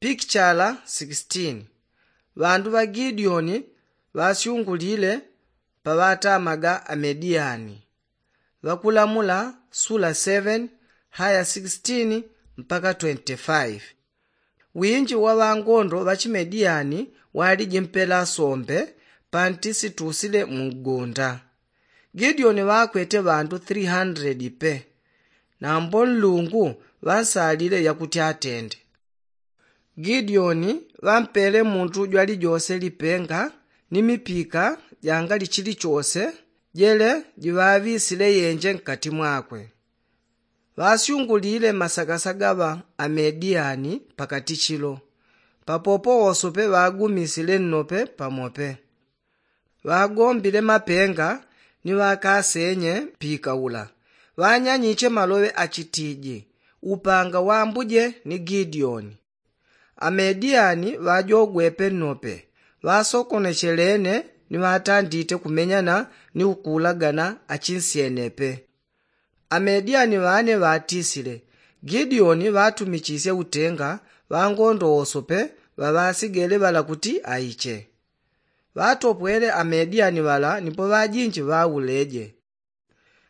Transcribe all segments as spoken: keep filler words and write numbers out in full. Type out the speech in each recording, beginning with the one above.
Pikichala sixteen. Ŵandu ŵa gideoni ŵasyungulile paŵatamaga amediyani. Ŵakulamula sula seven haya sixteen mpaka twenty-five. Winji wa ŵangondo ŵa chimediyani waliji mpela sombe panti situsile mugunda. Gideoni ŵakwete ŵandu three hundred pe. Nambo nlungu ŵansalile yakuti atende. Gideoni ŵampele mundu jwalijose lipenga ni mipika jangali chilichose jele jiŵaŵisile yenje nkati mwakwe. Ŵasyungulile masagasaga ŵa amediyani pakati chilo. Papopo wosope ŵagumisile nnope pamope. Ŵagombile mapenga ni ŵakasenye mpika ula. Ŵanyanyiche maloŵe achitiji, upanga wambuje ni gideoni. Amediyani ŵajogwepe nnope. Ŵasokonechelene ni ŵatandite kumenyana ni ukuulagana achinsyenepe. Amediyani ŵane ŵatisile. Gideoni ŵatumichisye utenga ŵangondo wosope ŵaŵasigele ŵala kuti aiche. Ŵatopwele amediyani ŵala nipo ŵajinji ŵauleje.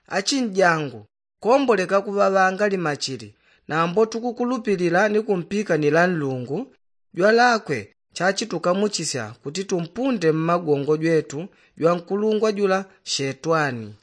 Achinjangu, komboleka kuŵaŵanga limachili. Nambo tukukulupilila ni kumpikanila nlungu jwalakwe chachitukamuchisya kuti tumpunde mmagongo jwetu jwankulungwa jula shetwani.